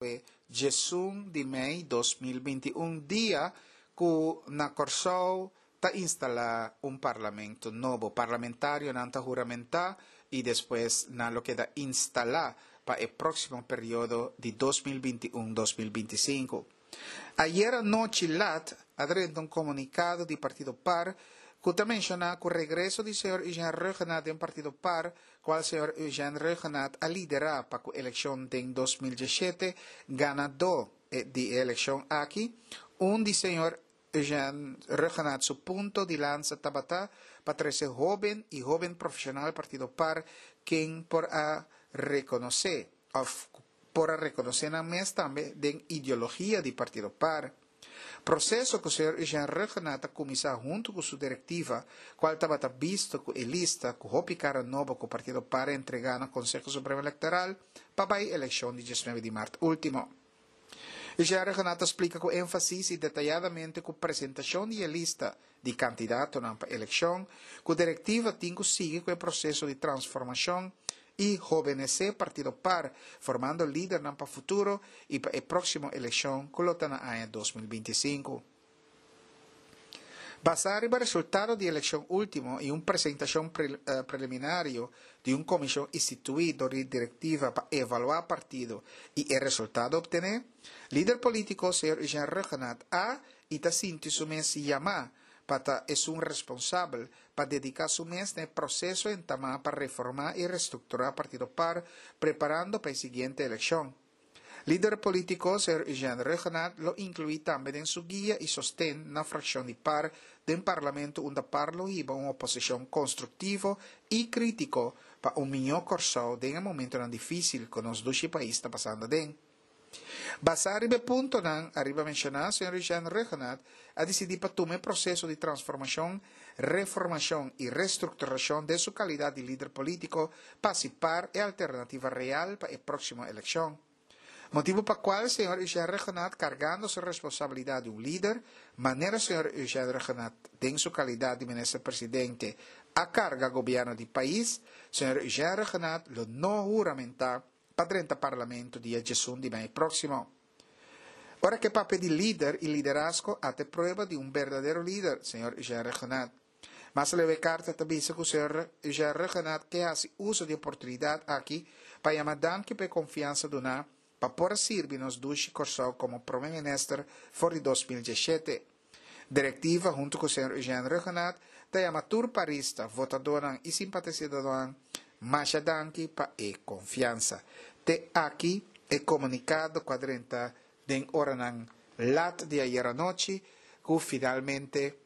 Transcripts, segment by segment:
E 11 di mei 2021, dia ku na Kòrsou ta instalá un parlamento nobo. Parlamentarionan ta huramentá i despues nan lo keda instalá pa e próksimo periodo di 2021, 2025. Ayera nochi lat a drenta un komunikado di partido par ku ta menshoná ku regreso di señor Eugène Rhuggenaath den partido par, kual señor Eugène Rhuggenaath a liderá pa ku elekshon den 2017, ganadó di e elekshon aki, un di señor Eugène Rhuggenaath su punto di lansa tabata pa trese hóben i hóben profeshonal partido par ken por a rekonosé òf por a rekonosé nan mes tambe den ideologia di partido par. Proseso ku señor Eugène Rhuggenaath a kuminsá huntu ku su direktiva, kual tabata bisto ku e lista ku hopi kara nobo ku partido par a entregá na Konseho Supremo Elektoral pa bai elekshon di 19 di mart último. Eugène Rhuggenaath a splika ku énfasis i detayadamente ku presentashon di e lista di kandidatonan pa elekshon, ku direktiva tin ku sigui ku e proseso di transformashon i hobenesé partido par, formando lidernan pa futuro i pa e próksimo elekshon ku lo ta na aña 2025. Basá riba resultado di elekshon último i un presentashon preliminario di un komishon instituí dor di direktiva pa evaluá partido i e resultado optené, lider polítiko señor Eugène Rhuggenaath a i ta sinti su mes yamá pa ta esun responsabel pa dediká su mes na e proseso entamá pa reformá i restrukturá partido par, preparando pa e siguiente elekshon. Lider polítiko señor Eugène Rhuggenaath lo inkluí tambe den su guia i sosten na frakshon di par den parlamento unda par lo hiba un oposishon konstruktivo i krítiko pa un mihó Kòrsou den e momentonan difísil ku nos dushi pais ta pasando aden. Basá riba e puntonan ariba menshoná, señor Eugène Rhuggenaath a disidí pa tuma e proseso di transformashon, reformashon i restrukturashon den su kalidat di lider polítiko pa hasi par e alternativa real pa e próksimo elekshon. Motibu pa kual señor Eugène Rhuggenaath kargando su responsabilidat di un lider, manera señor Eugène Rhuggenaath den su kalidat di minister presidente a karga gobièrnu di pais, señor Eugène Rhuggenaath lo no huramentá pa drenta parlamento dia 11 di mei próksimo. Ora ku e papia di lider i liderazgo ata e prueba di un berdadero lider, señor Eugène Rhuggenaath. Mas aleu e karta ta bisa ku señor Eugène Rhuggenaath ke hasi uso di e oportunidat aki pa yama danki pa e konfiansa duná pa por a sirbi nos dushi Kòrsou komo prome minister for di 2017. Direktiva huntu ku señor Eugène Rhuggenaath ta yama tur parista, votadónan i simpatisadónan masha danki pa e konfiansa. Te aki e komunikado ku a drenta den oranan lat di ayera nochi ku finalmente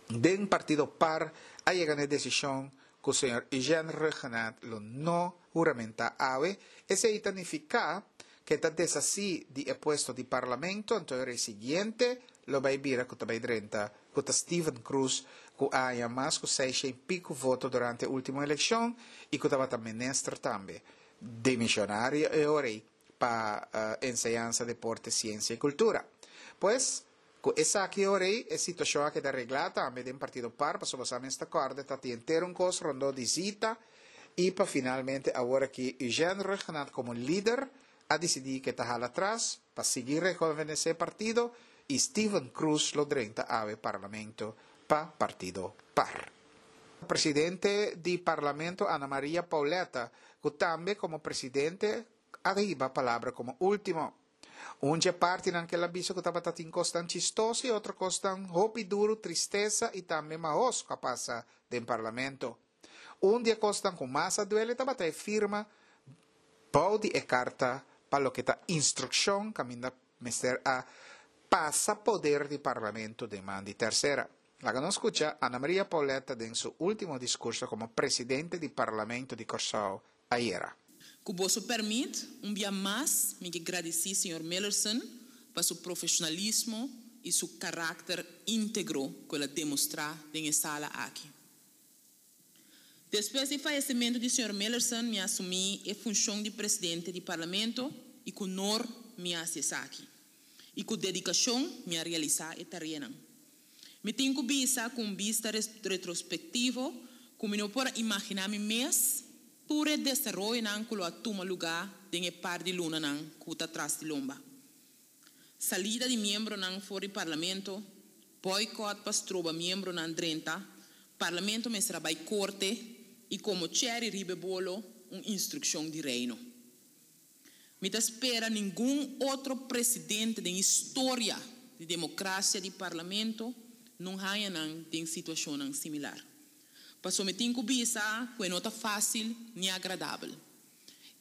den partido par a yega na e desishon ku señor Eugène Rhuggenaath lo no huramentá awe. Esei ta nifiká ku e ta deshasí di e puesto di parlamento, anto e ora e siguiente lo bai bira ku ta bai drenta ku ta Steven Croes ku a haña mas ku seisha i piku voto durante e último elekshon i ku tabata minister tambe demishonario e ora ei pa Enseñansa, Deporte, Siensia i Kultura. Pues, ku esaki e ora ei e situashon a keda reglá tambe den partido par pasobra sa mes ta kòrda ta tin henter un kos rondó di Zita i pa finalmente awor aki Eugène Rhuggenaath komo lider a disidí ku e ta hala atras pa sigui rehovenesé partido i Steven Croes lo drenta awe parlamento pa partido par. Presidente di parlamento Ana Maria Pauletta ku tambe komo presidente a hiba palabra komo último. Un dje partinan ku el a bisa ku tabata tin kosnan chistoso i otro kosnan hopi duru, tristesa i tambe mahos ku a pasa den parlamento. Un di e kosnan ku mas a duele tabata e firma bou di e karta pa loke ta instrukshon kaminda mester a pasa poder di parlamento den man di tersera. Laga nos skucha Ana Maria Pauletta den su último diskurso komo presidente di parlamento di Kòrsou ayera. Ku boso pèrmit, un bia mas mi ke gradisí señor Millerson pa su profeshonalismo i su karakter íntegro ku el a demostrá den e sala aki. Despues di fayesementu di señor Millerson mi a asumí e funshon di presidente di Parlamento i ku honor mi a hasi esaki. I ku dedikashon mi a realisá e tareanan. Mi tin ku bisa ku un bista retrospektivo ku mi no por a imaginá mi mes. tur e desaroyonan ku lo a tuma lugá den e par di lunanan ku ta tras di lomba. Salida di miembronan for di Parlamento, bòikòt pa stroba miembronan drenta, Parlamento mester a bai korte i komo chèri riba e bolo un instrukshon di Reino. Mi ta spera ningun otro presidente den historia di demokrasia di Parlamento no haña nan den situashonnan similar. Paso mi tin ku bisa ku e no ta fásil ni agradabel.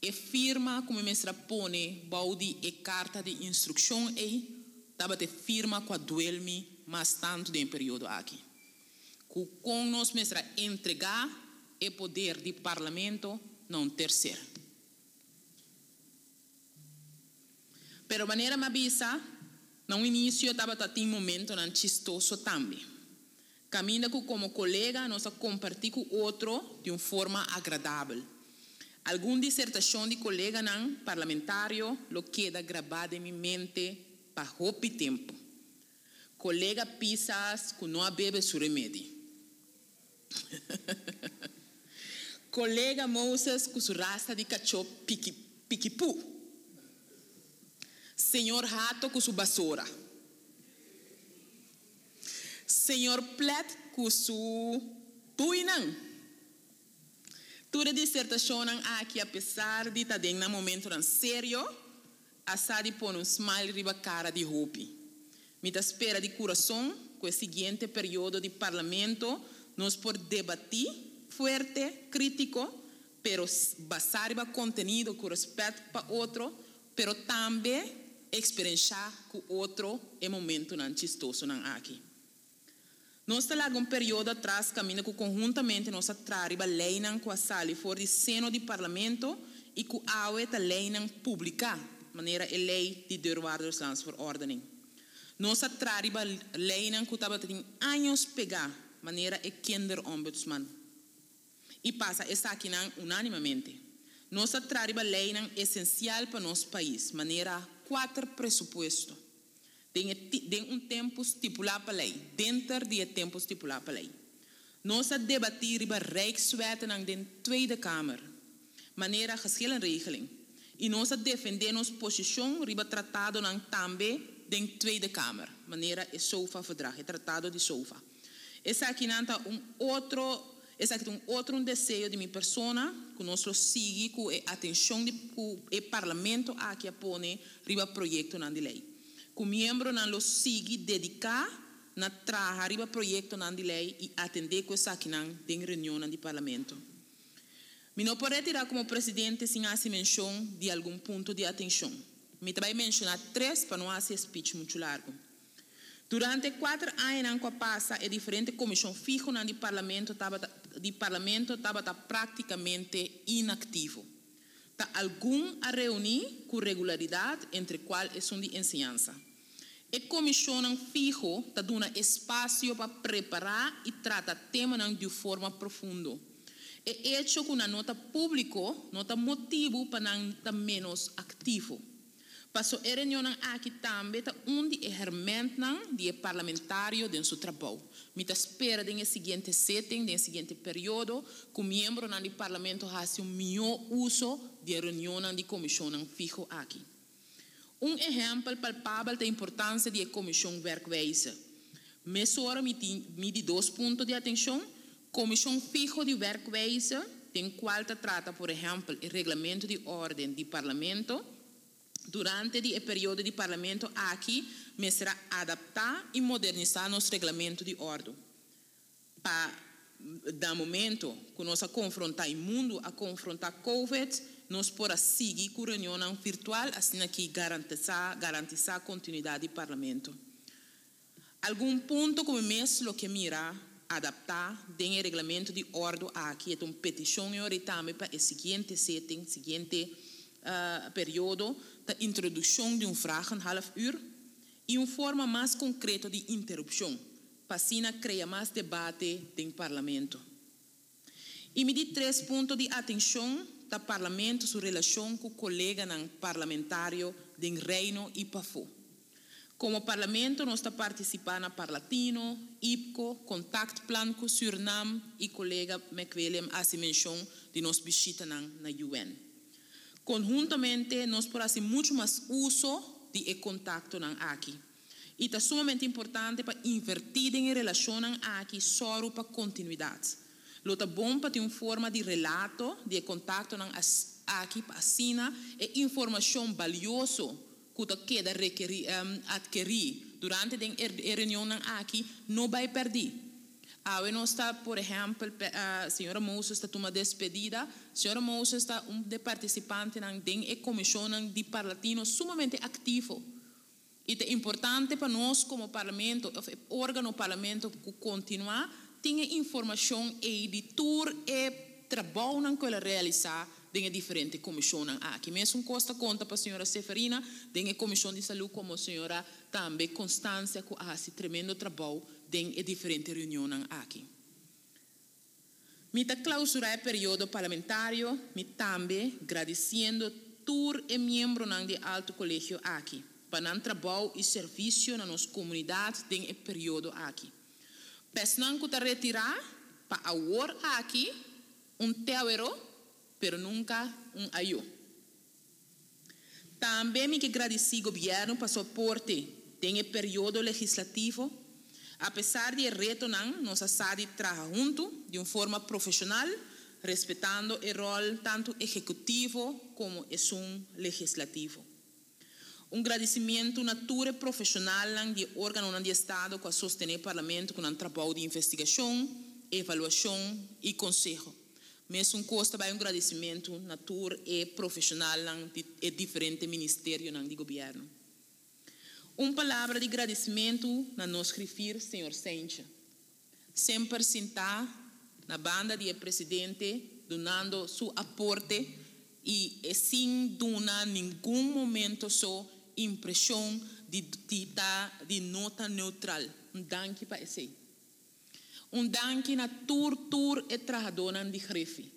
E firma ku mi mester a pone bou di e karta di instrukshon ei tabata e firma ku a duel mi mas tantu den e periodo aki. Ku kon nos mester a entregá e poder di Parlamento na un terser. Pero manera mi a bisa na un inisio tabata tin momentonan chistoso tambe. Kaminda ku komo kolega nos a kompartí ku otro di un forma agradabel. Algun disertashon di koleganan parlamentario lo keda grabá den mi mente pa hopi tempu. Kolega Pisas ku no a bebe su remedi. Kolega Moses ku su rasta di kachó piki pikipú. Señor Hato ku su basora. Señor Plet ku su buinan. Tur e disertashonnan aki apesar di ta den nan momentonan serio, a sa di pone un smile riba kara di hopi. Mi ta spera di kurason ku e siguiente periodo di Parlamento nos por debatí fuerte, krítiko, pero basá riba kontenido ku rèspèt pa otro, pero tambe eksperenshá ku otro e momentunan chistosonan aki. Nos ta laga un periodo atras kaminda ku konhuntamente nos a traha riba leinan ku a sali for di seno di Parlamento i ku awe ta leinan publiká, manera e lei di Deurwaarderslandsverordening. Nos a traha riba leinan ku tabata tin años pegá, manera e Kinderombudsman. I pasa esakinan unánimamente. Nos a traha riba leinan esensial pa nos pais, manera kuater presupuesto. Den e den un tempu stipulá pa lei, denter di e tempu stipulá pa lei. Nos a debatí riba Rijkswettennan den Tweede Kamer, manera Geschillenregeling, i nos a defendé nos posishon riba tratadonan tambe den Tweede Kamer, manera e SOFA-verdrag, e tratado di SOFA. Esakinan ta un otro esaki ta un otro un deseo di mi persona ku nos lo sigui ku e atenshon di ku e Parlamento aki a pone riba proyektonan di lei. Ku miembronan lo sigui dediká na traha riba proyektonan di lei i atendé ku esakinan den reunionnan di Parlamento. Mi no por retirá komo presidente sin hasi menshon di algun punto di atenshon. Mi ta bai menshoná tres pa no hasi e speech muchu largu. Durante e kuater añanan ku a pasa e diferente komishon fihonan di Parlamento tabata di Parlamento tabata práktikamente inaktivo. Ta algun a reuní ku regularidat entre kual esun di enseñansa. E komishonnan fiho ta duna espasio pa prepará i trata temanan di un forma profundo. E echo ku nan no ta públiko no ta motibu pa nan ta ménos aktivo. Paso e reunionnan aki tambe ta un di e hermentnan di e parlamentario den su trabou. Mi ta spera den e siguiente setting, den e siguiente periodo, ku miembronan di Parlamento hasi un mihó uso di e reunionnan di komishonnan fiho aki. Un ehèmpel palpabel ta importansia di e Komishon Werkwijze. Mesora mi tin mi di dos punto di atenshon, Komishon Fiho di Werkwijze, den kual ta trata por ehèmpel e reglamento di órden di Parlamento. Durante di e periodo di Parlamento aki mester a adaptá i modernisá nos reglamento di òrdu. Pa na momento ku nos a konfrontá i mundu a konfrontá Covid, nos por a sigui ku reunionnan virtual asina ki garantisá garantisá kontinuidat di Parlamento. Algun punto ku mi mes lo ke mira adaptá den e reglamento di òrdu aki e ta un petishon yori tambe pa e siguiente setting, siguiente periodo, ta introdukshon di un vragenhalf uur i un forma mas konkreto di interupshon pa asina krea mas debate den Parlamento. I mi di tres punto di atenshon ta Parlamento su relashon ku koleganan parlamentario den Reino i pafó. Komo Parlamento nos ta partisipá na Parlatino, IPKO, Kontaktplan ku Sürnam i kolega McWilliam hasi menshon di nos bishitanan na UN. Konhuntamente nos por hasi muchu mas uso di e kontaktonan aki. I ta sumamente importante pa invertí den e relashonnan aki sòru pa kontinuidat. Lo ta bon pa tin un forma di relato di e kontaktonan aki pa asina e informashon balioso ku ta keda rekerí atkerí durante den e reunionnan aki no bai pèrdí. Awe nos ta, por ehèmpel, señora Moses ta tuma despedida. Señora Moses ta un de partisipantenan den e komishonnan di Parlatino sumamente aktivo. I ta importante pa nos komo Parlamento òf e órgano Parlamento ku kontinuá tin e informashon ei di tur e trabounan ku el a realisá den e diferente komishonnan aki. Mesun kos ta konta pa señora Seferina den e komishon di salú komo señora tambe Constancia ku a hasi tremendo trabou den e diferente reunionnan aki. Mi ta klausurá e periodo parlamentario mi tambe gradisiendo tur e miembronan di e Alto Kolegio aki pa nan trabou i servisio na nos komunidat den e periodo aki. Pa esnan ku ta retirá pa awor aki un tèwero pero nunka un ayó. Tambe mi ke gradisí gobièrnu pa su aporte den e periodo legislativo. Apesar di e retonan, nos a sa di traha huntu di un forma profeshonal, respetando e ròl tantu ehekutivo komo esun legislativo. Un gradisimientu na tur e profeshonalnan di e órganonan di estado ku a sostené Parlamento ku nan trabou di investigashon, evaluashon i konseho. Mesun kos ta bai un gradisimentu na tur e profeshonalnan di e diferente ministerionan di gobièrnu. Un palabra di gradisimentu na nos grifir señor Seintje. Semper sintá na banda di e presidente dunando su aporte i e sin duna ningun momento so impreshon di di ta di no ta neutral. Un danki pa esei. Un danki na tur tur e trahadónan di Griffie.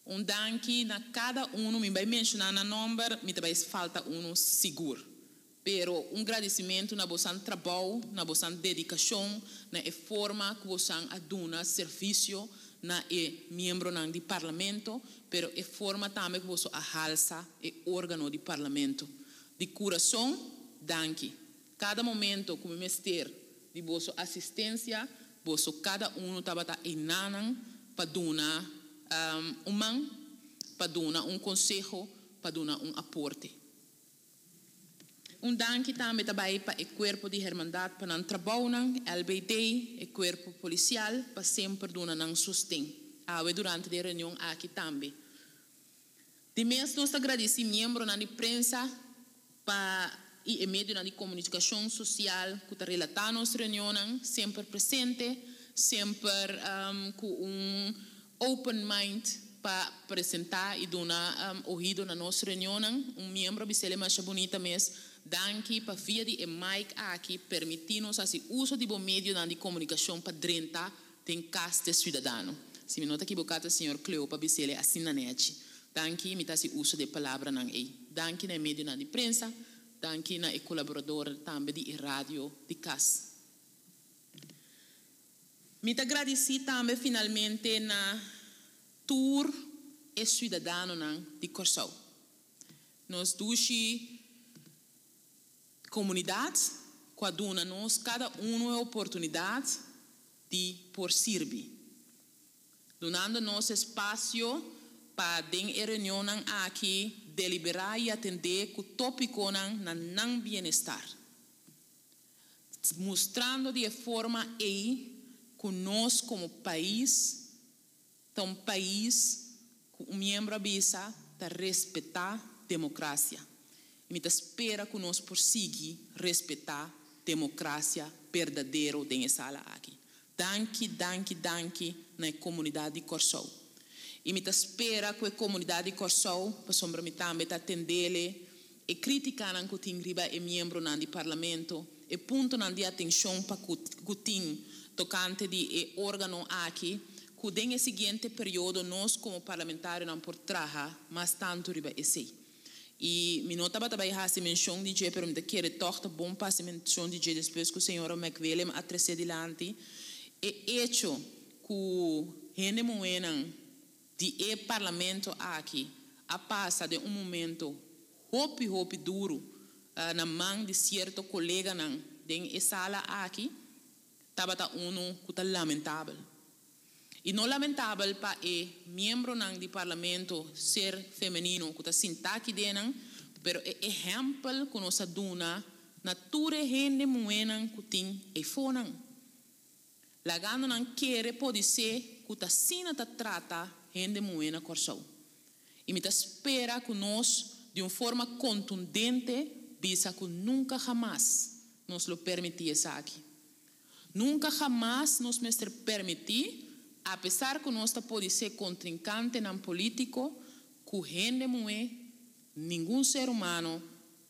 Un danki na kada unu, mi bai menshoná nan nòmber, mi ta bai falta unu sigur. Pero un gradisimentu na bosan trabou, na bosan dedikashon, na e forma ku bosan a duna servisio na e miembronan di Parlamento, pero e forma tambe ku boso a halsa e órgano di Parlamento. Di kurason, danki. Kada momento ku mi mester di boso asistensia, boso kada unu tabata einanan pa duna un man, pa duna un konseho, pa duna un aporte. Un danki tambe ta bai pa e kuerpo di hermandat pa nan trabounan, LBD, e kuerpo polisial pa semper duna nan sosten. Awe durante di e reunion aki tambe. Di mes nos ta gradisí miembronan di prensa pa i e medionan di komunikashon sosial ku ta relatá nos reunionnan, semper presente, semper ku un open mind pa presentá i duna ohido na nos reunionnan. Un miembro a bis'el e masha bunita mes, Danki pa via di e mic aki permití nos hasi uso di bo medionan di komunikashon pa drenta Den kas di e siudadano. Si mi no ta kiboká ta señor Cleopa bis'el e asina nechi. Danki, mi ta hasi uso di e palabranan ei. Danki na e medionan di prensa, danki na e kolaborador tambe di e radio di kas. Mi ta gradisí tambe finalmente na tur e siudadanonan di Kòrsou. Nos dushi Komunidat ku a duna nos kada unu e oportunidat di por sirbi, dunando nos espasio pa den e reunionnan aki deliberá i atendé ku tópikonan na nan bienestar, mustrando di e forma ei ku nos komo pais Ta un pais ku un miembro a bisa ta respetá demokrasia. I mi ta spera ku nos por sigui respetá demokrasia berdadero den e sala aki. Danki, danki, danki na e komunidat di Kòrsou. I mi ta spera ku e komunidat di Kòrsou, pasobra mi tambe ta atendele e krítikanan ku tin riba e miembronan di Parlamento, e puntonan di atenshon pa ku ku tin tokante di e órgano aki, ku den e siguiente periodo nos komo parlamentarionan por traha mas tantu riba esei. I mi no tabata bai hasi menshon di dje, pero mi ta kere tòg ta bon pa hasi menshon di dje despues ku señora McWillem a tresé dilanti e echo ku hende muhénan. di e Parlamento aki a pasa den un momento hopi hopi duru na man di sierto koleganan den e sala aki tabata unu ku ta lamentabel. I no lamentabel pa e miembronan di Parlamento ser femenino ku ta sintá aki den nan, pero e ehèmpel ku nos a duna na tur e hende muhénan ku tin eifonan. Lagando nan kere podisé ku ta asina ta trata hende muhé na Kòrsou. I mi ta spera ku nos di un forma kontundente bisa ku nunka hamas nos lo permití esaki. Nunka hamas nos mester permití, apesar ku nos ta podisé kontrinkantenan polítiko, ku hende muhé, ningun ser humano,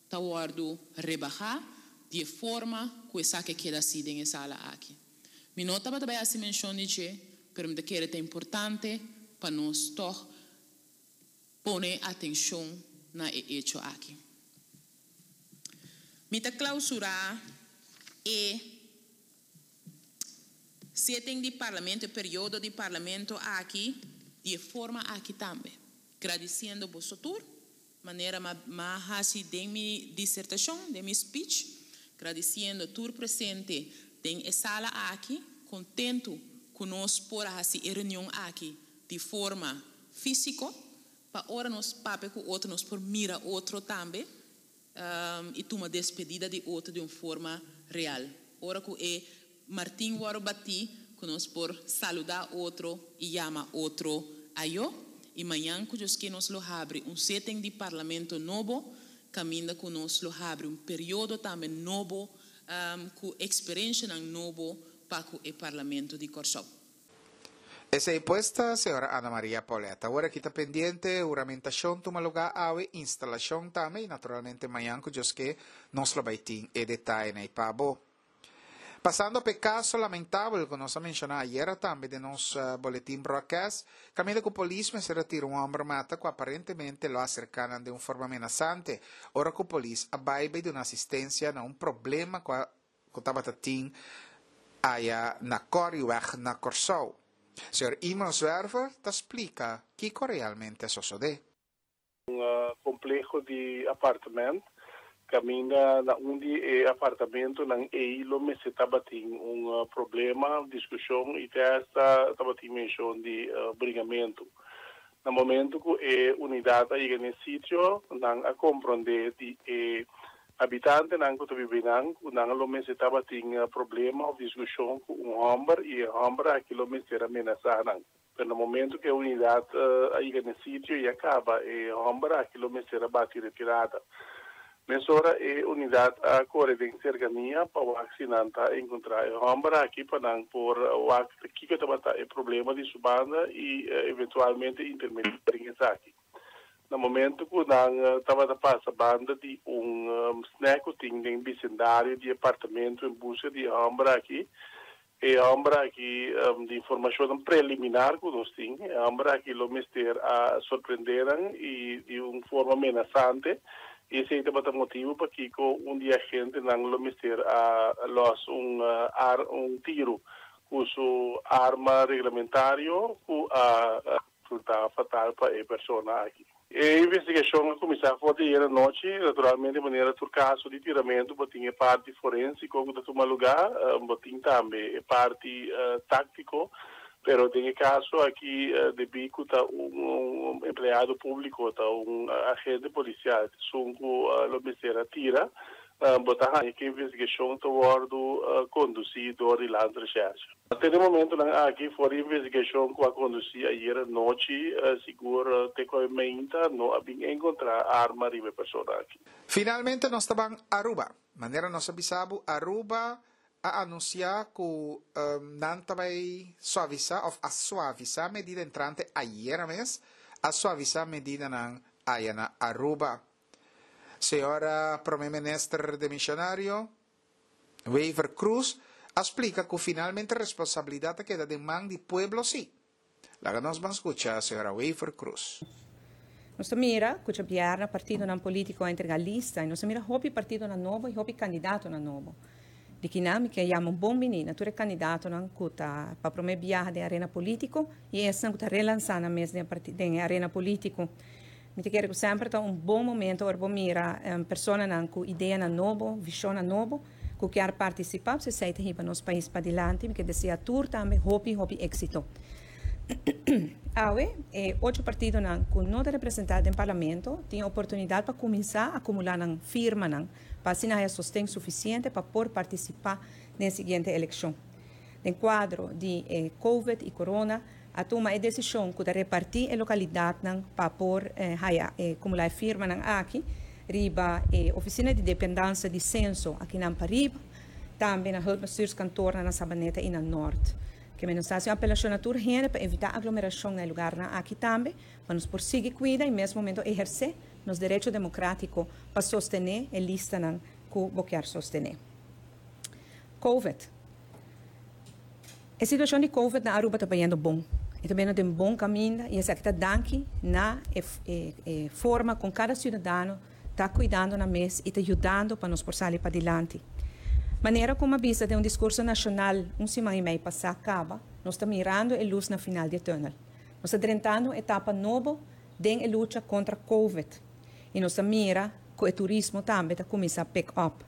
ta wòrdu rebahá di e forma ku esaki a keda así den e sala aki. Mi no tabata bai hasi menshon di dje, pero mi ta kere ta importante pa nos tòg pone atenshon na e echo aki. Mi ta klausurá e sitting di Parlamento, e periodo di Parlamento aki di e forma aki tambe, gradisiendo boso tur. Manera m'a haci den mi disertacion, den mi speech, gradiciendo tur presente den e sala aki, contento cu nos por a haci e reunion aki di forma fisico, pa ora nos papia cu otro nos por mira otro tambe y tuma despedida di otro di un forma real. Ora cu e martin wòrdu batí ku nos por saludá otro i yama otro ayó. I mañan ku Dios ke nos lo habri un seten di parlamento nobo, kaminda ku nos lo habri un periodo tambe nobo ku eksperenshanan nobo pa ku e parlamento di Kòrsou. Esei pues ta señora Ana Maria Pauletta. Awor aki ta pendiente huramentashon tuma lugá awe, instalashon tambe i naturalmente mañan ku Dios ke nos lo bai tin e detayenan ei pa bo. Pasando p'e kaso lamentabel ku nos a menshoná ayera tambe den nos boletin broadcast, kaminda ku polis mester a tira un hòmber mata ku aparentemente lo a aserká nan den un forma menasante ora ku polis a bai bai duna asistensia na un problema ku a ku tabata tin aya na Corrieweg na Kòrsou. Señor Imon Zwerver ta splika kiko realmente a sosodé. Un compleho di apartement caminda na un di e apartamentonan ey lo mester tabatin un problema, discusion y te hasta tabatin mencion di bringamento. Na momento cu e unidad a yega n'e sitio nan a compronde di e habitantenan cu ta biba eynan cu nan lo mester tabatin problema of discusion cu un homber y e homber aki lo mester a menasa nan. Pero na momento ku e unidat a yega na e sitio i a kaba, e hòmber aki lo mester a bati retirada. Mesora e unidat a kore den serkania pa wak si nan ta enkontrá e hòmber aki pa nan por wak kiko tabata e problema di su banda i eventualmente intermediá den esaki. Na momento ku nan tabata pasa banda di un snack ku tin den bisendario di e apartamento en buska di e hòmber aki, E hòmber aki, di informashonnan preliminar ku nos tin, e hòmber aki lo mester a sorprendé nan i di un forma menasante, i esei tabata motibu pakiko un di e agentenan lo mester a lòs un ar un tiru ku su arma reglamentario ku a Resultá fatal pa e persona aki. E investigashon a kuminsá for di ayer anochi. Naturalmente manera tur kaso di tiramentu bo tin e parti forensiko ku ta tuma lugá, bo tin tambe e parti táktiko, pero den e kaso aki debí ku ta un empleado públiko, ta un agente polisial esun ku lo mester a tira, Bo ta haña ku e investigashon ta wòrdu kondusí dor di Landsrecherche. Te den momentunan aki for di investigashon ku a kondusí ayer anochi, sigur te ku mainta no a bin enkontrá arma riba e persona aki. Finalmente nos ta ban Aruba. Manera nos a bisa bo, Aruba a anunsiá ku nan ta bai suavisá òf a suavisá medida entrante ayera mes, a suavisá medidanan aya na Aruba. Señora Prome Minister demisionario Wever Croes a splica cu finalmente responsabilidad ta keda den man di pueblo si. Laga nos ban scucha señora Wever Croes. Nos ta mira cu djabièrnè partidonan politico a entrega lista y nos a mira hopi partidonan nobo y hopi candidatonan nobo. Di kinan mi ke yama un bon bini na tur e kandidatonan ku ta pa promé biaha den arena polítiko i esnan ku ta relansá nan mes den den e arena polítiko. Mi ta kere ku semper ta un bon momento ora bo mira personanan ku ideanan nobo, vishonnan nobo ku kier partisipá, pasobra esei ta hiba nos pais padilanti. Mi ke desea tur tambe hopi hopi éksito. Awe e ocho partidonan ku no ta representá den parlamento tin e oportunidat pa kuminsá akumulá nan firmanan pa asina haya sosten sufisiente pa por partisipá den e siguiente elekshon. Den kuadro di e Covid i Corona a tuma e desishon ku ta repartí e lokalidatnan pa por haya e kumulá e firmanan aki riba e ofisina di dependansa di senso akinan pariba, tambe na Hulpbestuurskantoornan na Sabaneta i na Nort. Ke men nos ta hasi un apelashon na tur hende pa evitá aglomerashon na e lugarnan aki tambe, pa nos por sigui kuida i mes momento ehersé nos derecho demokratiko pa sostené e listanan ku bo kier sostené. Covid. E situashon di Covid na Aruba ta bayendo bon. E ta bayendo den bon kaminda i esaki ta danki na e e forma kon kada siudadano ta kuidando nan mes i ta yudando pa nos por sali padilanti. Manera ku mi a bisa den un diskurso nashonal un siman i mei pasá kaba, nos ta mirando e lus na final di e tùnel. Nos ta drentando un etapa nobo den e lucha kontra Covid i nos ta mira ku e turismo tambe ta kuminsá pick up.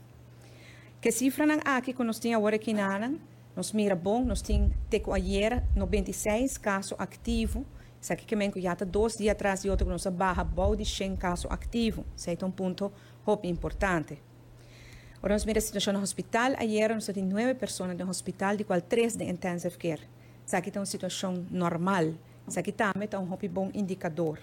Ku e sifranan aki ku nos tin awor aki nanan, nos mira bon, nos tin te ku ayera 96 kaso aktivo, esaki ke men ku ya ta dos dia tras di otro ku nos a baha bou di shen kaso aktivo, esei ta un punto hopi importante. Ora nos mira e situashon na hospital, ayera nos ta tin nuebe persona den hospital, di kual tres den intensive care. Esaki ta un situashon normal. Esaki tambe ta un hopi bon indikador.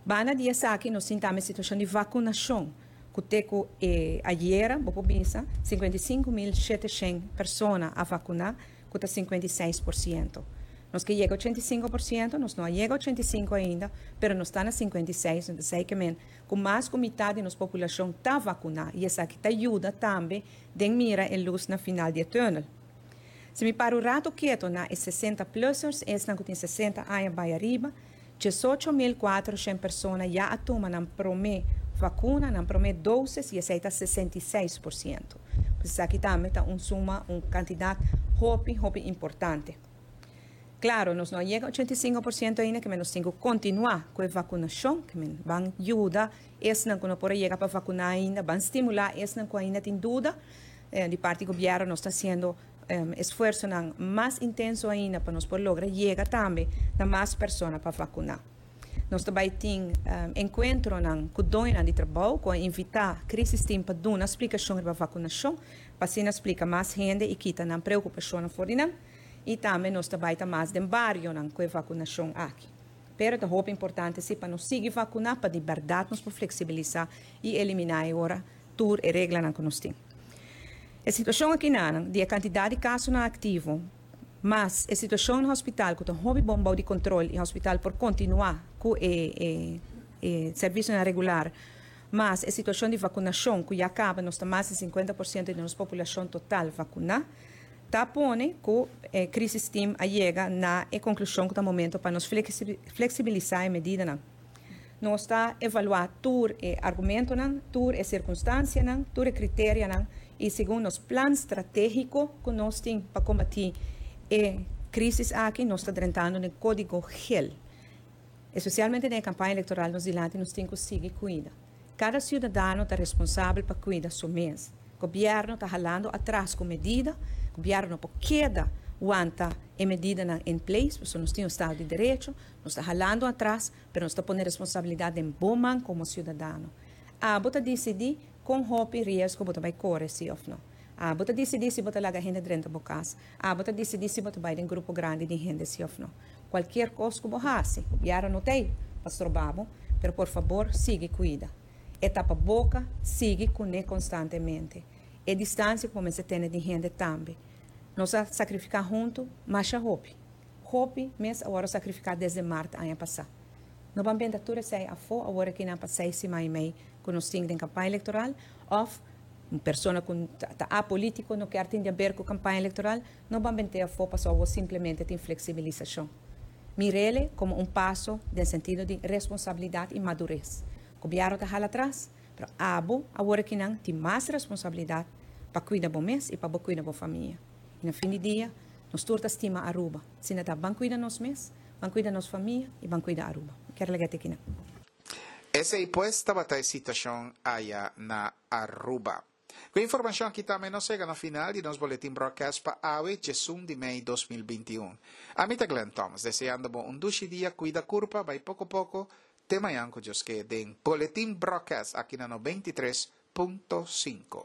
Banda di esaki nos tin tambe situashon di vakunashon ku te ku e ayera, bo por bisa, 55,700 persona a vakuná, ku ta 56%. Nos ke yega 85%, nos no a yega 85 ainda, pero nos ta na 56, entonces esei ke men ku mas ku mitad di nos populashon ta vakuná i esaki ta yuda tambe den mira e lus na final di e tùnel. Si mi para un rato keto na e 60 plussers, esnan ku tin 60 aña bai ariba, 18,400 persona ya a tuma nan promé vakuna, nan promé doses, i esei ta 66%. Pues esaki tambe ta un suma, un kantidat hopi, hopi importante. Klaro, nos no a yega 85% ainda, ke men nos tin ku kontinuá ku e vakunashon, ke men ban yuda esnan ku no por a yega pa vakuná ainda, ban stimulá esnan ku ainda tin duda. Di parti gobièrnu nos ta hasiendo esfuersonan mas intenso ainda pa nos por logra yega tambe na mas persona pa vakuná. Nos ta bai tin enkuentronan ku doñonan di trabou ku a invitá Crisis Team pa duna splikashon riba vakunashon pa asina splika mas hende i kita nan preokupashonnan for di nan. I tambe nos ta bai ta mas den barionan ku e vakunashon aki. Pero ta hopi importante si pa nos sigui vakuná pa di bèrdat nos por fleksibilisá i eliminá e ora tur e reglanan ku nos tin. E situashon akinanan di e kantidat di kasonan aktivo mas e situashon na hospital ku ta hopi bon bou di kontrol i hospital por kontinuá ku e e servisionan regular mas e situashon di vakunashon ku ya kaba nos ta mas di 50% di nos populashon total vakuná ta pone ku e crisis team a yega na e konklushon ku ta momento pa nos fleksibilisá e medidanan. Nos ta evaluá tur e argumentonan, tur e sirkunstansianan, tur e kriterianan i segun nos plan stratégiko ku nos tin pa kombatí e krísis aki, nos ta drentando den kódigo gel. Espesialmente den e kampaña elektoral nos dilanti nos tin ku sigui kuida. Kada siudadano ta responsabel pa kuida su mes. Gobièrnu ta halando atras ku medida, gobièrnu no por keda wanta e medidanan in place, pasobra nos tin un estado di derecho, nos ta halando atras, pero nos ta pone responsabilidat den bo man komo siudadano. Abo ta disidí kon hopi riesgo bo ta bai kore si òf no. Abo ta disidí si bo ta laga hende drenta bo kas. Abo ta disidí si bo ta bai den grupo grandi di hende si òf no. Kualkier kos ku bo hasi, gobièrnu no ta ei pa stroba bo, pero por fabor sigui kuida. E tapaboka sigui kuné konstantemente. E distansia ku bo mester tene di hende tambe. Nos a sakrifiká huntu masha hopi. Hopi mes a wòrdu sakrifiká desde mart aña pasá. No ban benta tur esei afó awor aki nan pa seis siman i mei ku nos tin den kampaña elektoral òf un persona ku ta apolítiko no kier tin di aber ku kampaña elektoral, no ban bent'é afó pasobra awor simplemente tin fleksibilisashon. Mir'ele komo un paso den sentido di responsabilidat i madures. Gobièrnu ta hala atras, pero abo awor aki nan tin mas responsabilidat. Pa cuida bo mes y pa bo cuida bo famia. Y na fin di dia, nos tur ta stima Aruba. Asina ta, ban cuida nos mes, ban cuida nos famia y ban cuida Aruba. Mi kier laga te aki nan. Esey pues tabata e situacion aya na Aruba. Cu e informacion aki tambe nos yega na final di nos boletin broadcast pa awe djesun di mei 2021. Ami ta Glenn Thomas, deseando bo un dushi dia, cuida curpa, bay poco poco, te mañan cu Dios ke den Boletin Broadcast aki na 93.5.